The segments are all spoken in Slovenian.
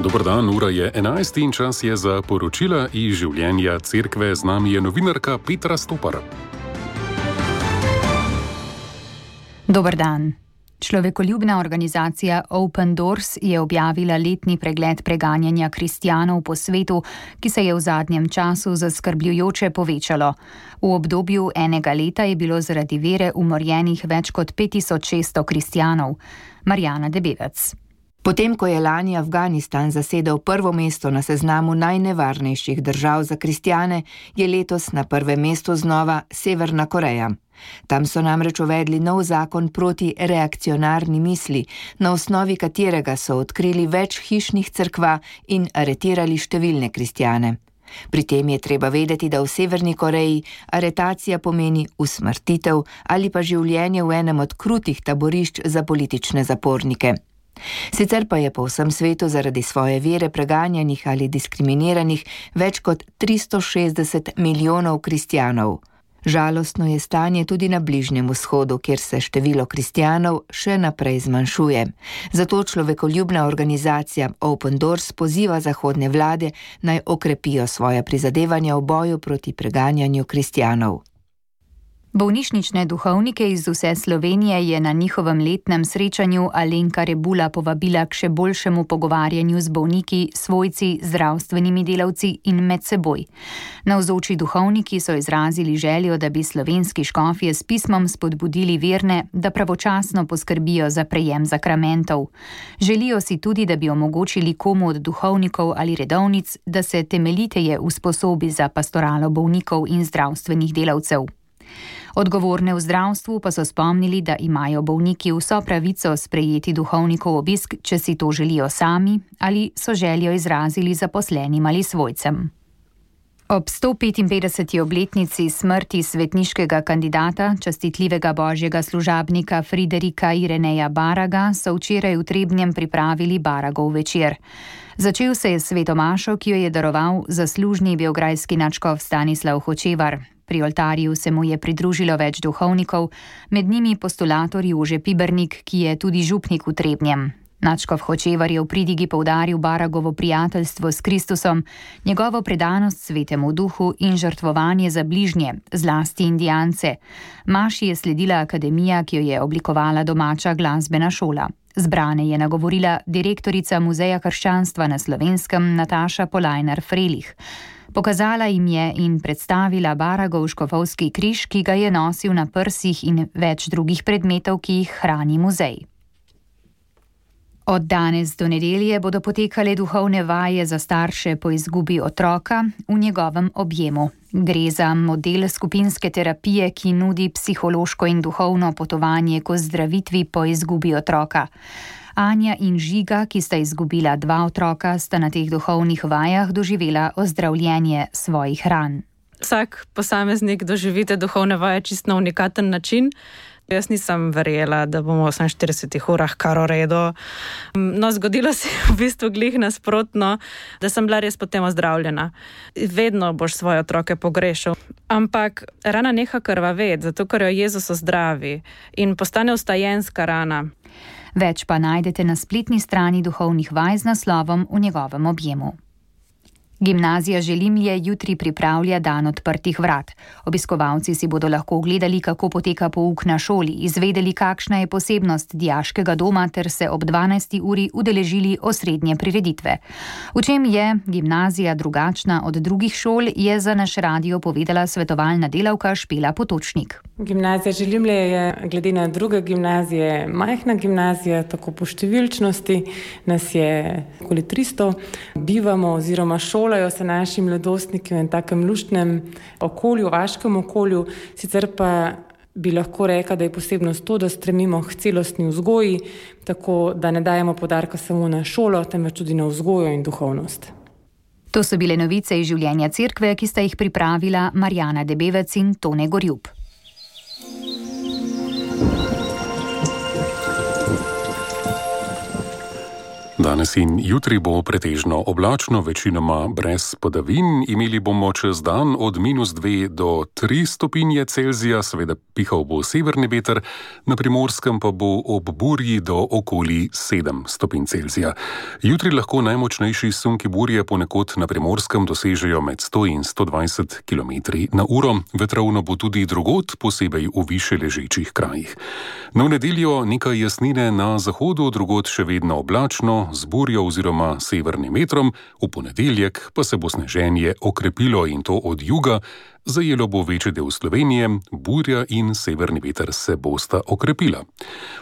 Dober dan, ura je 11 in čas je za poročila iz življenja cerkve. Z nami je novinarka Petra Stopar. Dober dan. Človekoljubna organizacija Open Doors je objavila letni pregled preganjanja kristjanov po svetu, ki se je v zadnjem času zaskrbljujoče povečalo. V obdobju enega leta je bilo zaradi vere umorjenih več kot 5600 kristjanov. Marjana Debevec. Potem, ko je lani Afganistan zasedel prvo mesto na seznamu najnevarnejših držav za kristjane, je letos na prvem mestu znova Severna Koreja. Tam so namreč uvedli nov zakon proti reakcionarni misli, na osnovi katerega so odkrili več hišnih cerkva in aretirali številne kristjane. Pri tem je treba vedeti, da v Severni Koreji aretacija pomeni usmrtitev ali pa življenje v enem od krutih taborišč za politične zapornike. Sicer pa je po vsem svetu zaradi svoje vere preganjanih ali diskriminiranih več kot 360 milijonov kristjanov. Žalostno je stanje tudi na Bližnjem vzhodu, kjer se število kristjanov še naprej zmanjšuje. Zato človekoljubna organizacija Open Doors poziva zahodne vlade, naj okrepijo svoja prizadevanja v boju proti preganjanju kristjanov. Bolnišnične duhovnike iz vse Slovenije je na njihovem letnem srečanju Alenka Rebula povabila k še boljšemu pogovarjanju z bolniki, svojci, zdravstvenimi delavci in med seboj. Navzoči duhovniki so izrazili željo, da bi slovenski škofje s pismom spodbudili verne, da pravočasno poskrbijo za prejem zakramentov. Želijo si tudi, da bi omogočili komu od duhovnikov ali redovnic, da se temeljiteje usposobi za pastoralo bolnikov in zdravstvenih delavcev. Odgovorne v zdravstvu pa so spomnili, da imajo bolniki vso pravico sprejeti duhovnikov obisk, če si to želijo sami ali so željo izrazili zaposlenim ali svojcem. Ob 155. obletnici smrti svetniškega kandidata, častitljivega božjega služabnika Friderika Ireneja Baraga, so včeraj v Trebnjem pripravili Baragov večer. Začel se je s sveto mašo, ki jo je daroval zaslužni beograjski nadškof Stanislav Hočevar. Pri oltarju se mu je pridružilo več duhovnikov, med njimi postulator Jože Pibernik, ki je tudi župnik v Trebnjem. Nadškof Hočevar je v pridigi poudaril Baragovo prijateljstvo s Kristusom, njegovo predanost svetemu duhu in žrtvovanje za bližnje, zlasti indijance. Maši je sledila akademija, ki jo je oblikovala domača glasbena šola. Zbrane je nagovorila direktorica Muzeja krščanstva na Slovenskem Nataša Polajnar-Frelih. Pokazala jim je in predstavila Baragov škofovski križ, ki ga je nosil na prsih, in več drugih predmetov, ki jih hrani muzej. Od danes do nedelje bodo potekale duhovne vaje za starše po izgubi otroka v njegovem objemu. Gre za model skupinske terapije, ki nudi psihološko in duhovno potovanje k ozdravitvi po izgubi otroka. Anja in Žiga, ki sta izgubila 2 otroka, sta na teh duhovnih vajah doživela ozdravljenje svojih ran. Vsak posameznik doživite duhovne vaje čisto na unikaten način. Jaz nisem verjela, da bomo v 48 urah kar v redu. No, zgodilo se je v bistvu glih nasprotno, da sem bila res potem ozdravljena. Vedno boš svoje otroke pogrešal. Ampak rana neha krvaveti, zato ker jo Jezus ozdravi in postane vstajenska rana. Več pa najdete na spletni strani duhovnih vaj z naslovom V njegovem objemu. Gimnazija Želimlje jutri pripravlja dan odprtih vrat. Obiskovalci si bodo lahko ogledali, kako poteka pouk na šoli, izvedeli, kakšna je posebnost dijaškega doma ter se ob 12. uri udeležili osrednje prireditve. V čem je gimnazija drugačna od drugih šol, je za naš radio povedala svetovalna delavka Špela Potočnik. Gimnazija Želimlje je glede na druge gimnazije majhna gimnazija, tako po številčnosti nas je okoli 300. Bivamo oziroma šolajo se naši mladostniki v takem luštnem okolju, vaškem okolju, sicer pa bi lahko rekla, da je posebnost to, da stremimo k celostni vzgoji, tako da ne dajemo poudarka samo na šolo, temveč tudi na vzgojo in duhovnost. To so bile novice iz življenja cerkve, ki sta jih pripravila Marjana Debevec in Tone Gorjub. Danes in jutri bo pretežno oblačno, večinoma brez padavin. Imeli bomo čez dan od -2 do 3 stopinje Celzija, seveda pihal bo severni veter, na Primorskem pa bo ob burji do okoli 7 stopinj Celzija. Jutri lahko najmočnejši sunki burje ponekod na Primorskem dosežejo med 100 in 120 km/h. Vetrovno bo tudi drugod, posebej v više ležečih krajih. Na nedeljo nekaj jasnine na zahodu, drugod še vedno oblačno, z burjo oziroma severnim vetrom, v ponedeljek pa se bo sneženje okrepilo in to od juga, zajelo bo večji del Slovenije, burja in severni veter se bosta okrepila.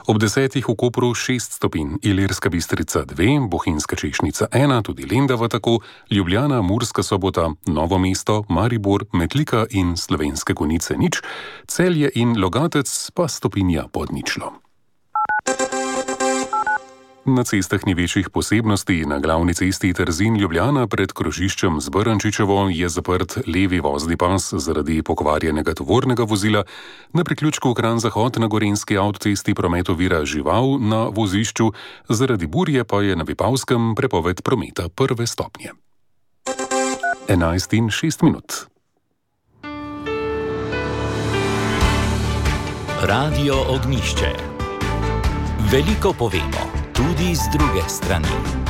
Ob 10 v Kopru 6 stopinj, Ilirska Bistrica 2, Bohinjska Češnica 1, tudi Lendava tako, Ljubljana, Murska Sobota, Novo mesto, Maribor, Metlika in Slovenske Konjice 0, Celje in Logatec pa stopinja pod ničlo. Na cestah ni večjih posebnosti. Na glavni cesti Trzin-Ljubljana pred krožiščem z Brnčičevo je zaprt levi vozni pas zaradi pokvarjenega tovornega vozila. Na priključku Kranj-Zahod na Gorenjski avtocesti promet ovira žival na vozišču, zaradi burje pa je na Vipavskem prepoved prometa 1. stopnje. 11:06. Radio Ognjišče. Veliko povemo, tudi z druge strani.